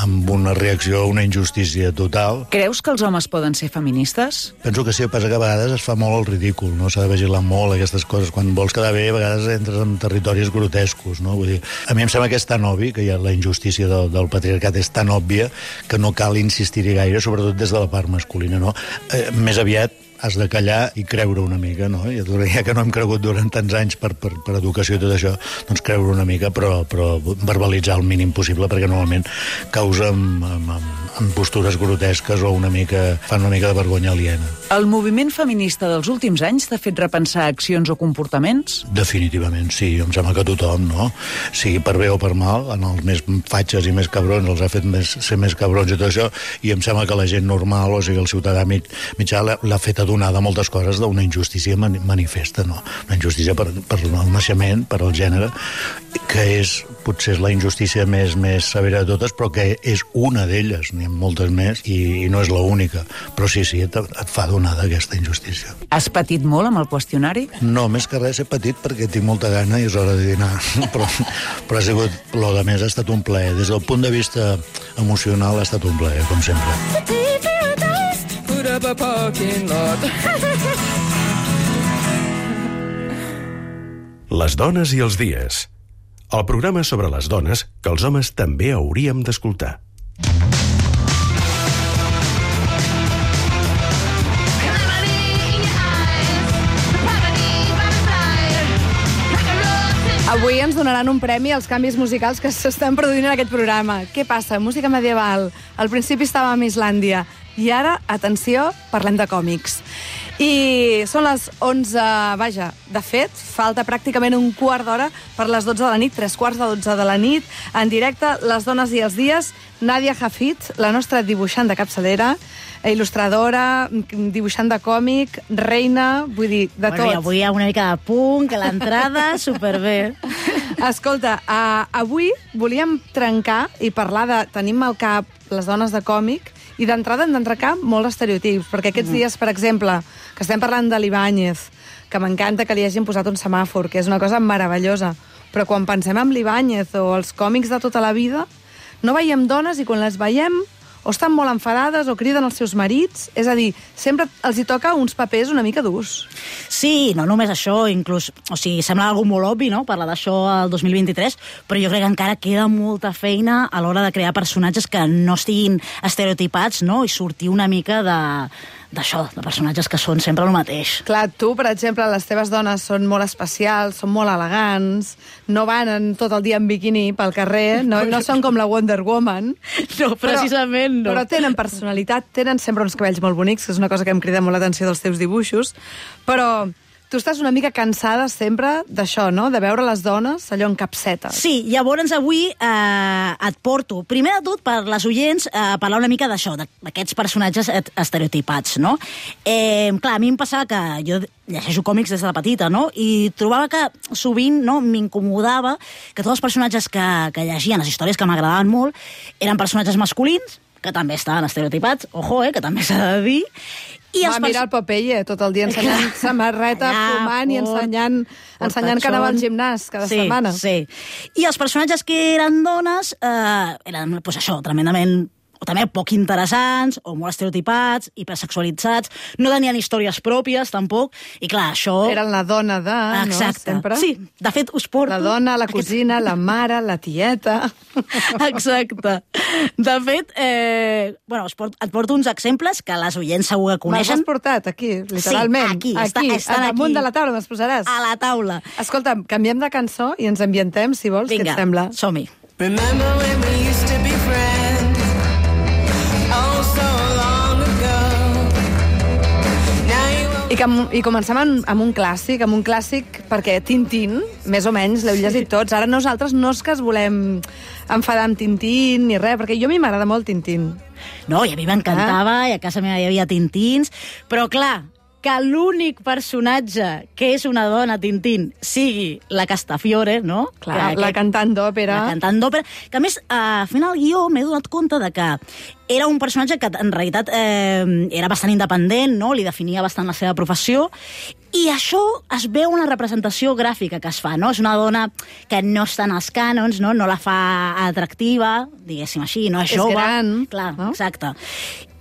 amb una reacció a una injustícia total. Creus que els homes poden ser feministes? Penso que sí, passa que a vegades es fa molt el ridícul, no? S'ha de vigilar molt aquestes coses. Quan vols quedar bé, a vegades entres en territoris grotescos, no? Vull dir, a mi em sembla que és tan obvi, que ja la injustícia del, del patriarcat és tan òbvia que no cal insistir-hi gaire, sobretot des de la part masculina, no? Eh, més aviat has de callar i creure una mica, no? Ja, ja que no hem cregut durant tants anys per, per, per educació i tot això, doncs creure una mica, però, però verbalitzar el mínim possible, perquè normalment causa amb, amb, amb postures grotesques o una mica, fan una mica de vergonya aliena. El moviment feminista dels últims anys t'ha fet repensar accions o comportaments? Definitivament, sí. Em sembla que tothom, no? Sigui per bé o per mal, en els més fatxes i més cabrons els ha fet més, ser més cabrons i tot això, i em sembla que la gent normal, o sigui, el ciutadà mig, mitjà, l'ha fet adonada moltes coses d'una injustícia manifesta, no? Una injustícia per, per el naixement, per al gènere, que és, potser és la injustícia més, més severa de totes, però que és una d'elles, n'hi ha moltes més, i, i no és l'única. Però sí, sí, et, et fa donada aquesta injustícia. Has patit molt amb el qüestionari? No, més que res he patit perquè tinc molta gana i és hora de dinar. però, però ha sigut, lo de més ha estat un plaer. Des del punt de vista emocional ha estat un plaer, com sempre. Les dones i els dies. El programa sobre les dones que els homes també hauríem d'escoltar. Avui ens donaran un premi als canvis musicals que s'estan produint en aquest programa. Què passa? Música medieval. Al principi estàvem a Islàndia. I ara, atenció, parlem de còmics. I són les onze, vaja, de fet, falta pràcticament un quart d'hora per les dotze de la nit, tres quarts de dotze de la nit, en directe, Les dones i els dies, Nadia Hafid, la nostra dibuixant de capçalera, il·lustradora, dibuixant de còmic, reina, vull dir, de bueno, tot. I avui hi ha una mica de punk, l'entrada, superbé. Escolta, uh, avui volíem trencar i parlar de... Tenim al cap les dones de còmic, i d'entrada hem d'entrecar molts estereotips, perquè aquests mm. dies, per exemple, que estem parlant de l'Ibáñez, que m'encanta que li hagin posat un semàfor, que és una cosa meravellosa, però quan pensem en l'Ibáñez o els còmics de tota la vida, no veiem dones i quan les veiem o estan molt enfadades o criden els seus marits, és a dir, sempre els hi toca uns papers una mica durs. Sí, no només això, inclús, o sigui, sembla algo molt obvi, no?, parlar d'això el dos mil vint-i-tres, però jo crec que encara queda molta feina a l'hora de crear personatges que no estiguin estereotipats, no?, i sortir una mica de... d'això, de personatges que són sempre el mateix. Clar, tu, per exemple, les teves dones són molt especials, són molt elegants, no van en, tot el dia en biquini pel carrer, no, no són com la Wonder Woman. No, precisament però, no. Però tenen personalitat, tenen sempre uns cabells molt bonics, que és una cosa que em crida molt l'atenció dels teus dibuixos, però... Tu estàs una mica cansada sempre d'això, no?, de veure les dones allò en capsetes. Sí, llavors avui eh, et porto, primer de tot, per les oients, a eh, parlar una mica d'això, d'aquests personatges estereotipats, no? Eh, clar, a mi em passava que jo llegeixo còmics des de la petita, no?, i trobava que sovint, no?, m'incomodava que tots els personatges que, que llegien, les històries que m'agradaven molt, eren personatges masculins, que també estaven estereotipats, ojo, eh, que també s'ha de dir. I Va mirar el Popeye tot el dia ensenyant samarreta, fumant i ensenyant, ensenyant que anava al gimnàs cada sí, setmana. Sí, i els personatges que eren dones eh, eren, pues això, tremendament... o també poc interessants, o molt estereotipats, hipersexualitzats, no tenien històries pròpies, tampoc, i clar, això... Eren la dona de, Exacte. no, sempre? Sí, de fet, us porto... La dona, la cosina, la mare, la tieta... Exacte. De fet, eh, bueno, porto, et porto uns exemples que les oients segur que coneixen. Me'ls has portat aquí, literalment. Sí, aquí, aquí està, al damunt aquí. de la taula me'ls posaràs. A la taula. Escolta, canviem de cançó i ens ambientem, si vols, Vinga, què et sembla? som-hi. Remember when we used to be friends? Oh, so long ago. Now you I, que, I comencem amb, amb un clàssic, amb un clàssic perquè Tintín, més o menys, l'heu llegit tots. Ara nosaltres no és que es volem enfadar amb Tintín ni res, perquè jo a mi m'agrada molt Tintín. No, i a mi m'encantava, ah. i a casa meva hi havia Tintins, però clar, que l'únic personatge que és una dona Tintín sigui la Castafiore, no? Clar, que, la cantant d'òpera. La cantant d'òpera, que a més, eh, fent el guió m'he donat compte de que era un personatge que en realitat eh, era bastant independent, no? Li definia bastant la seva professió, i això es veu una representació gràfica que es fa, no? És una dona que no està en els cànons, no? No la fa atractiva, diguéssim així, no és, és jove. gran. Clar, no? Exacte.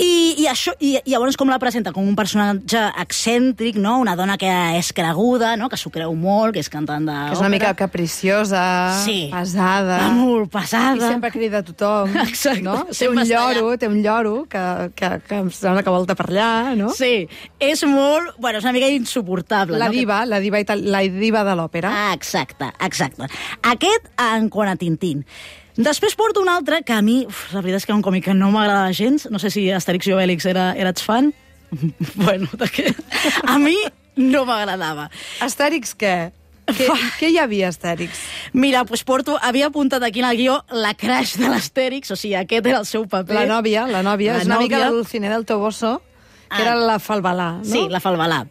I, i, això, i, i llavors com la presenta? Com un personatge excèntric, no? Una dona que és creguda, no? Que s'ho creu molt, que és cantant d'òpera. Que és una mica capriciosa, sí. pesada. Va molt pesada. I sempre crida a tothom. Exacte. No? Té un lloro, té un lloro que, que, que em sembla que volta per allà, no? Sí, és molt... Bueno, és una mica insuportable. La no? diva, la diva, la diva de l'òpera. Ah, exacte, exacte. Aquest en quant a Tintín. Després porto un altre que a mi, uf, la veritat és que és un còmic que no m'agrada gens. No sé si Astèrix i Obèlix era, eres fan. Bueno, de què? A mi no m'agradava. Astèrix què? Què, què hi havia, Astèrix? Mira, doncs porto, havia apuntat aquí en el guió la crush de l'Astèrix, o sigui, aquest era el seu paper. La nòvia, la nòvia. La és una nòvia. mica la Dulcinea del Toboso, que era la Falbalà, no? Sí, la Falbalà.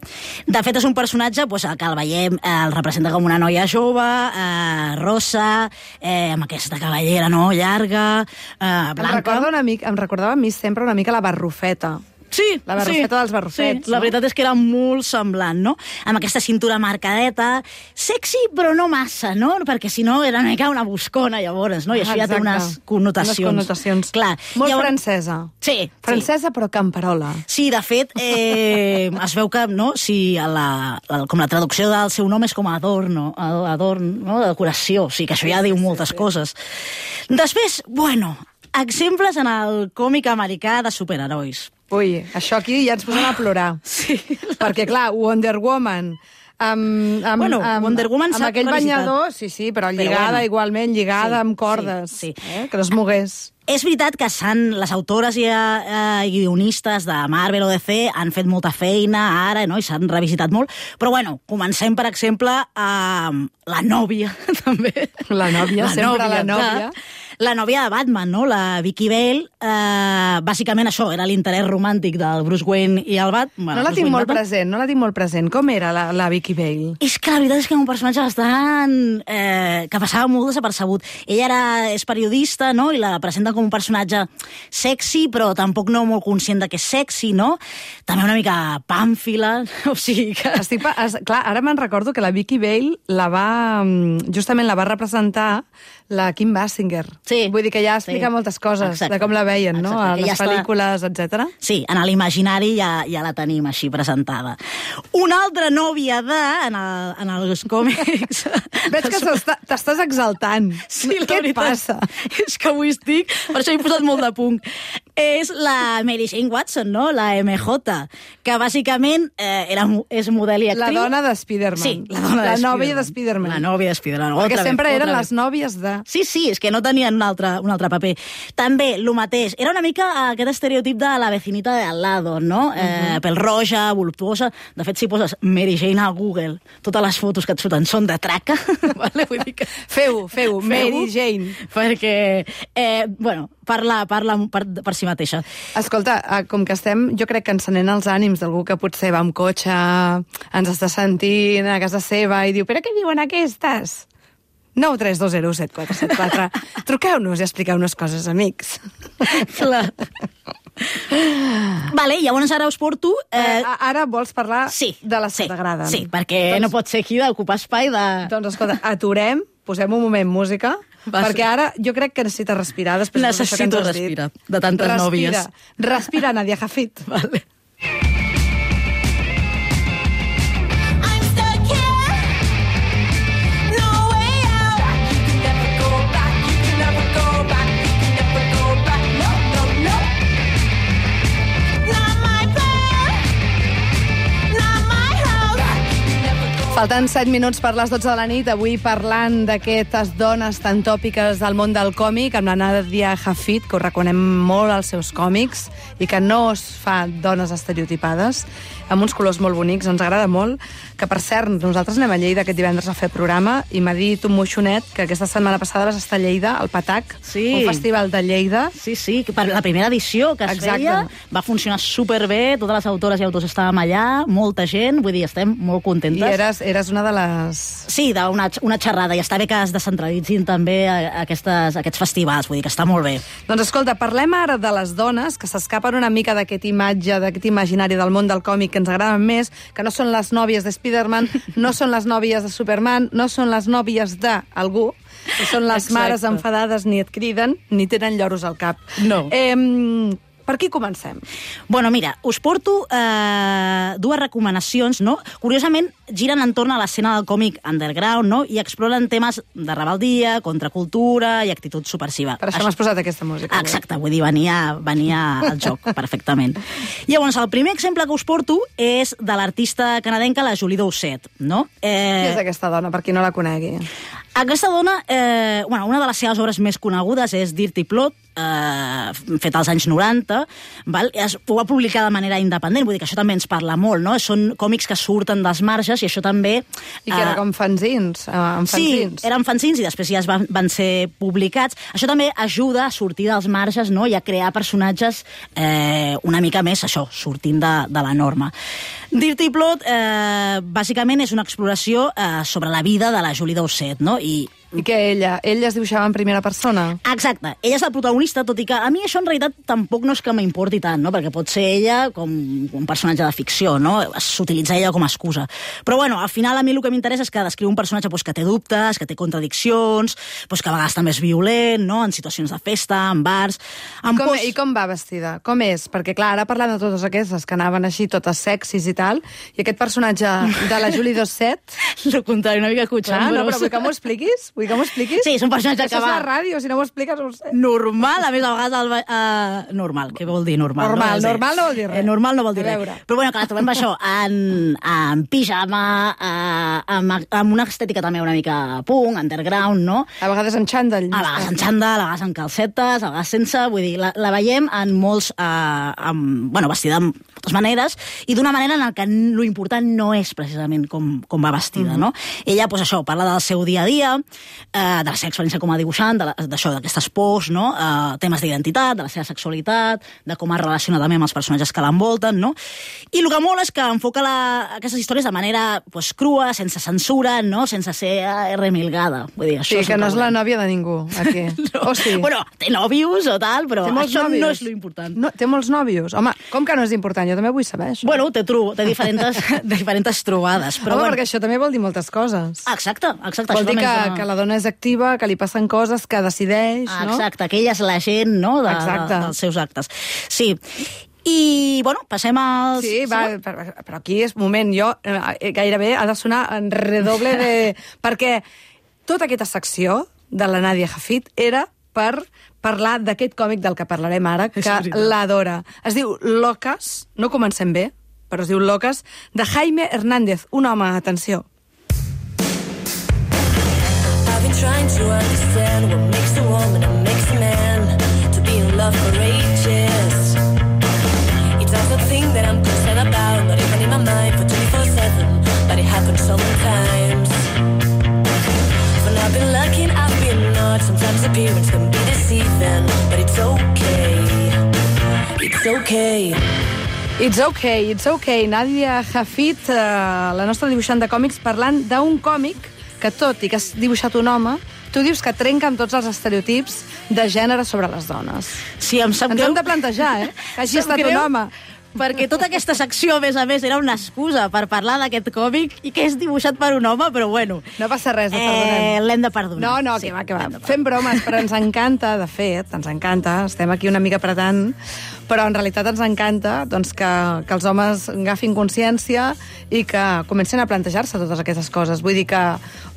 De fet, és un personatge doncs, que el veiem, eh, el representa com una noia jove, eh, rossa, eh, amb aquesta cabellera no, llarga, eh, blanca. Em, recorda una mica, em recordava a mi sempre una mica la Barrufeta. Sí, la barrufeta sí, dels barrufets. Sí, la no? veritat és que era molt semblant, no? Amb aquesta cintura marcadeta, sexy però no massa, no? Perquè si no era una mica una buscona, llavors, no? I això ah, ja té unes connotacions. Unes connotacions. Clar. Molt llavors... francesa. Sí. Francesa sí. però camperola. Sí, de fet, eh, es veu que, no? Si la, la, com la traducció del seu nom és com adorno, adorn, no? De decoració, o sigui que això ja diu moltes sí, sí. coses. Després, bueno, exemples en el còmic americà de superherois. Ui, això aquí ja ens posem a plorar. Sí. Perquè, clar, Wonder Woman... Amb, amb, bueno, amb, Wonder Woman amb aquell banyador, sí, sí, però lligada però bueno. igualment, lligada sí, amb cordes, sí, sí. Eh? Que no es mogués. És veritat que s'han, les autores i, eh, i guionistes de Marvel o D C han fet molta feina ara, no? I s'han revisitat molt, però bueno, comencem, per exemple, amb la nòvia, també. La nòvia, la sempre nòvia, la nòvia. La nòvia de Batman, no? La Vicky Vale, eh, bàsicament això, era l'interès romàntic del Bruce Wayne i el Bat. Bueno, no la Bruce tinc Wayne molt Batman. present, no la tinc molt present. Com era la, la Vicky Vale? És que la veritat és que era un personatge bastant... Eh, que passava molt desapercebut. Ella era, és periodista, no?, i la presenta com un personatge sexy, però tampoc no molt conscient de que és sexy, no? També una mica pàmfila, o sigui que... Estic, es, clar, ara me'n recordo que la Vicky Vale la va... justament la va representar la Kim Basinger. Sí. Vull dir que ja explica sí. moltes coses Exacte. de com la veien, Exacte. no? A les ja pel·lícules, està... etcètera. Sí, en l'imaginari ja, ja la tenim així presentada. Una altra nòvia de... en, el, en els còmics... Veig que t'estàs exaltant. Sí, Què et passa? És que avui estic... Per això he posat molt de punt. És la Mary Jane Watson, no? La M J, que bàsicament eh, era, és model i actriu. La dona de Spider-Man. Sí, la dona la de nòvia de Spider-Man. La nòvia de Spider-Man. Perquè otra sempre vez, eren otra les nòvies de... Sí, sí, és que no tenien un altre, un altre paper. També, el mateix. Era una mica aquest estereotip de la vecinita de al lado, no? Uh -huh. eh, pèl roja, voluptuosa. De fet, si poses Mary Jane a Google, totes les fotos que et surten són de traca. Vale? Vull dir que... Feu-ho, feu-ho, Mary Jane. Perquè, eh, bueno, parla, parla per, per si mateixa. Escolta, com que estem, jo crec que encenent els ànims d'algú que potser va amb cotxe, ens està sentint a casa seva i diu, però què diuen aquestes? nou tres dos zero set quatre set quatre. Truqueu-nos i expliqueu-nos coses, amics. Clar. Vale, llavors ara us porto... Eh... Eh, ara vols parlar sí, de les sí, que t'agraden. Sí, perquè doncs, no pot ser aquí d'ocupar espai de... Doncs escolta, aturem, posem un moment música, Va, perquè ara jo crec que necessites respirar després Necessito que ens has respirar, dit. de tantes respira, nòvies. Respira, Nadia Jafit. Vale. Falten set minuts per les dotze de la nit, avui parlant d'aquestes dones tan tòpiques del món del còmic, amb la Nadia Jafit, que ho reconem molt als seus còmics, i que no es fa dones estereotipades. amb uns colors molt bonics, ens agrada molt, que per cert, nosaltres anem a Lleida aquest divendres a fer programa i m'ha dit un moixonet que aquesta setmana passada vas estar a Lleida, al Patac, Sí. un festival de Lleida. Sí, sí, que per la primera edició que es Exacte. feia va funcionar superbé, totes les autores i autors estàvem allà, molta gent, vull dir, estem molt contentes. I eres, eres una de les... Sí, d'una una xerrada, i està bé que es descentralitzin també aquestes, aquests festivals, vull dir que està molt bé. Doncs escolta, parlem ara de les dones que s'escapen una mica d'aquest imatge, d'aquest imaginari del món del còmic que ens agraden més, que no són les nòvies de Spider-Man, no són les nòvies de Superman, no són les nòvies d'algú, que són les Exacte. mares enfadades, ni et criden, ni tenen lloros al cap. No. Eh, per qui comencem? Bueno, mira, us porto eh, dues recomanacions, no? Curiosament, giren entorn a l'escena del còmic underground, no? I exploren temes de rebeldia, contracultura i actitud subversiva. Per això m'has posat aquesta música. Exacte, vull dir, venia, venia al joc perfectament. Llavors, el primer exemple que us porto és de l'artista canadenca, la Julie Doucet, no? Eh... Qui és Eh, aquesta dona, per qui no la conegui? aquesta dona, eh, bueno, una de les seves obres més conegudes és Dirty Plot, eh, fet als anys noranta, val? Es, ho va publicar de manera independent, vull dir que això també ens parla molt, no? Són còmics que surten dels marges i això també... I que era com fanzins, eh, amb fanzins. Sí, eren fanzins i després ja es van, van ser publicats. Això també ajuda a sortir dels marges, no? I a crear personatges eh, una mica més, això, sortint de, de la norma. Dirty Plot, eh, bàsicament, és una exploració eh, sobre la vida de la Julie Doucet, no? I I que ella, ella es dibuixava en primera persona? Exacte. Ella és la protagonista, tot i que a mi això en realitat tampoc no és que m'importi tant, no? Perquè pot ser ella com un personatge de ficció, no? S'utilitza ella com a excusa. Però bueno, al final a mi el que m'interessa és que descriu un personatge pues, que té dubtes, que té contradiccions, pues, que a vegades també és violent, no? En situacions de festa, en bars... En Com, pos... I com va vestida? Com és? Perquè, clar, ara parlant de totes aquestes que anaven així, totes sexis i tal, i aquest personatge de la Julie Doucet... Lo contrari, una mica cotxambros. No, però vull que m'ho expliquis? Vull que m'ho expliquis? Sí, és un personatge Això que va... és la ràdio, si no m'ho expliques no ho sé. Normal, a més, a vegades... El, uh, normal, què vol dir normal? Normal, no? normal no vol dir res. Eh, normal no vol dir A res. veure. Però bueno, que la trobem això, en, en pijama, uh, amb, amb una estètica també una mica punk, underground, no? A vegades en xandall. A vegades en xandall, a vegades en calcetes, a vegades sense, vull dir, la, la veiem en molts... Uh, amb, bueno, vestida de moltes maneres, i d'una manera en què lo important no és precisament com, com va vestida, mm-hmm. no? Ella, doncs això, parla del seu dia a dia, eh, de la seva experiència com a dibuixant, d'això, d'aquestes pors, no? Eh, temes d'identitat, de la seva sexualitat, de com es relaciona també amb els personatges que l'envolten, no? I el que mola és que enfoca la, aquestes històries de manera pues, crua, sense censura, no? Sense ser eh, remilgada. Vull dir, això Sí, que no és la nòvia de ningú, aquí. no. O sí? Bueno, té nòvios o tal, però això nòvios? no és lo important. No, té molts nòvios? Home, com que no és important? Jo també vull saber això. Bueno, té, tru, té diferents, diferents trobades. Però Home, bueno. perquè això també vol dir moltes coses. Exacte, exacte. Vol això dir també que, ens dona- que la dona és activa, que li passen coses, que decideix, Ah, no? exacte, que ella és la gent, no?, de, Exacte. de, dels seus actes. Sí. I, bueno, passem al... Sí, va, però, però aquí és moment, jo eh, gairebé ha de sonar en redoble de... perquè tota aquesta secció de la Nadia Hafid era per parlar d'aquest còmic del que parlarem ara, que l'adora. Es diu Locas, no comencem bé, però es diu Locas, de Jaime Hernández, un home, atenció. I've been trying to understand what makes a woman and makes a man to be in love for ages. It's not the thing that I'm concerned about, not even in my mind for twenty-four seven, but it happens sometimes. When I've been lucky and I've been not, sometimes appearance can be deceiving, but it's okay. It's okay. It's okay, it's okay. Nadia Hafid, eh, la nostra dibuixant de còmics, parlant d'un còmic que, tot i que has dibuixat un home, tu dius que trenca amb tots els estereotips de gènere sobre les dones. Sí, em sap Ens greu. hem de plantejar, eh? Que hagi Em sap estat greu, un home. Perquè tota aquesta secció, a més a més, era una excusa per parlar d'aquest còmic i que és dibuixat per un home, però bueno. No passa res, et perdonem. Eh, L'hem de perdonar. No, no, Sí, que va, que va. l'hem de Fem bromes, però ens encanta, de fet, ens encanta, estem aquí una mica apretant, però en realitat ens encanta doncs, que, que els homes agafin consciència i que comencin a plantejar-se totes aquestes coses. Vull dir que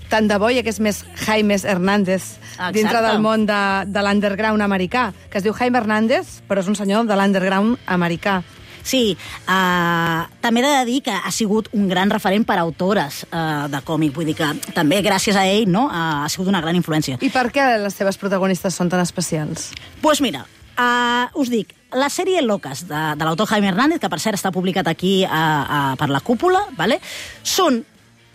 tant de bo hi hagués més Jaime Hernández Exacte. dintre del món de, de l'underground americà, que es diu Jaime Hernández, però és un senyor de l'underground americà. Sí, uh, també he de dir que ha sigut un gran referent per a autores uh, de còmic, vull dir que també gràcies a ell no, uh, ha sigut una gran influència. I per què les seves protagonistes són tan especials? Doncs pues mira, uh, us dic, la sèrie Locas, de, de l'autor Jaime Hernández, que per cert està publicat aquí uh, uh, per la Cúpula, vale? Són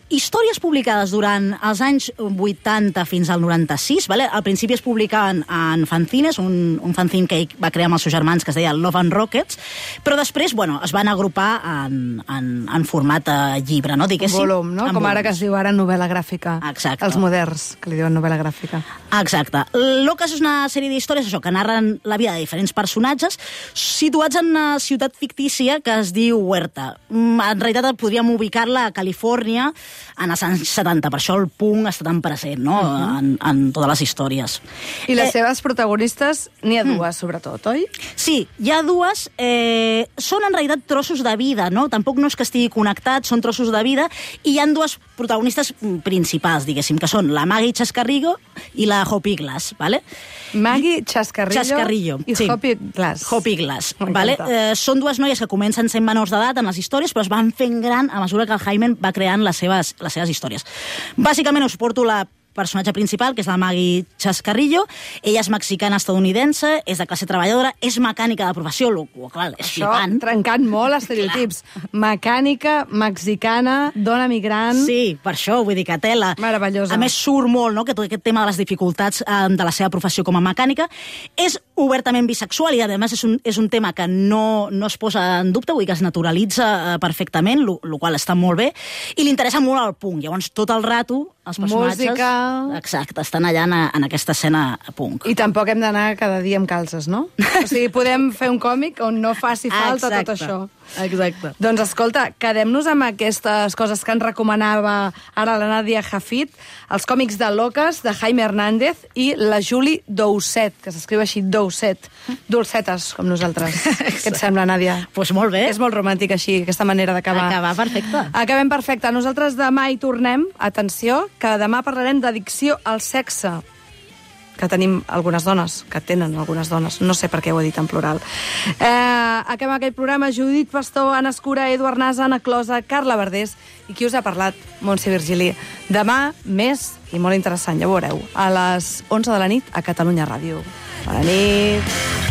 històries publicades durant els anys vuitanta fins al noranta-sis, vale? Al principi es publicaven en fanzines, un, un fanzine que ell va crear amb els seus germans que es deia Love and Rockets, però després, bueno, es van agrupar en, en, en format eh, llibre, no? Diguéssim. Volum, no? Com volums. ara que es diu ara novel·la gràfica. Exacte. Els moderns, que li diuen novel·la gràfica. Exacte. Locas és una sèrie d'històries, això, que narren la vida de diferents personatges situats en una ciutat fictícia que es diu Huerta. En realitat podríem ubicar-la a Califòrnia, en els anys setanta, per això el punk està tan present, no?, uh-huh. en, en totes les històries. I les eh, seves protagonistes, n'hi ha dues, mm. sobretot, oi? Sí, hi ha dues. Eh, són en realitat trossos de vida, no? Tampoc no és que estigui connectat, són trossos de vida, i hi ha dues protagonistes principals, diguéssim, que són la Maggie Chascarrillo i la Hopi Glass, ¿vale? Maggie Chascarrillo, Chascarrillo i sí. Hopi Glass. Hopi Glass, ¿vale? Eh, són dues noies que comencen sent menors d'edat en les històries, però es van fent gran a mesura que el Jaime va creant les seves, les seves històries. Bàsicament us porto la personatge principal, que és la Maggie Chascarrillo. Ella és mexicana-estadounidense, és de classe treballadora, és mecànica de professió, lo qual és Això, flipant. trencant molt estereotips. Mecànica, mexicana, dona migrant... Sí, per això, vull dir que tela. Meravellosa. A més, surt molt, no?, que tot aquest tema de les dificultats eh, de la seva professió com a mecànica. És obertament bisexual i, a més, és un, és un tema que no, no es posa en dubte, vull dir que es naturalitza eh, perfectament, el qual està molt bé, i li interessa molt el punk. Llavors, tot el rato, els personatges... Música... Exacte, estan allà en, en aquesta escena punk. I tampoc hem d'anar cada dia amb calces, no? O sigui, podem fer un còmic on no faci falta Exacte. tot això. Exacte. Doncs escolta, quedem-nos amb aquestes coses que ens recomanava ara la Nàdia Jafit, els còmics de Locas, de Jaime Hernández, i la Julie Doucet, que s'escriu així, Doucet. Dolcetes, com nosaltres. Què et sembla, Nàdia? Doncs pues molt bé. És molt romàntic així, aquesta manera d'acabar. Acabar perfecte. Acabem perfecte. Nosaltres demà hi tornem. Atenció, que demà parlarem d'addicció al sexe, que tenim algunes dones, que tenen algunes dones. No sé per què ho he dit en plural. Eh, acabem aquell programa. Judit Pastor, Anna Escura, Eduard Nasa, Anna Closa, Carla Verdés i qui us ha parlat, Montse Virgili. Demà, més i molt interessant, ja ho veureu, a les onze de la nit a Catalunya Ràdio. Bona nit.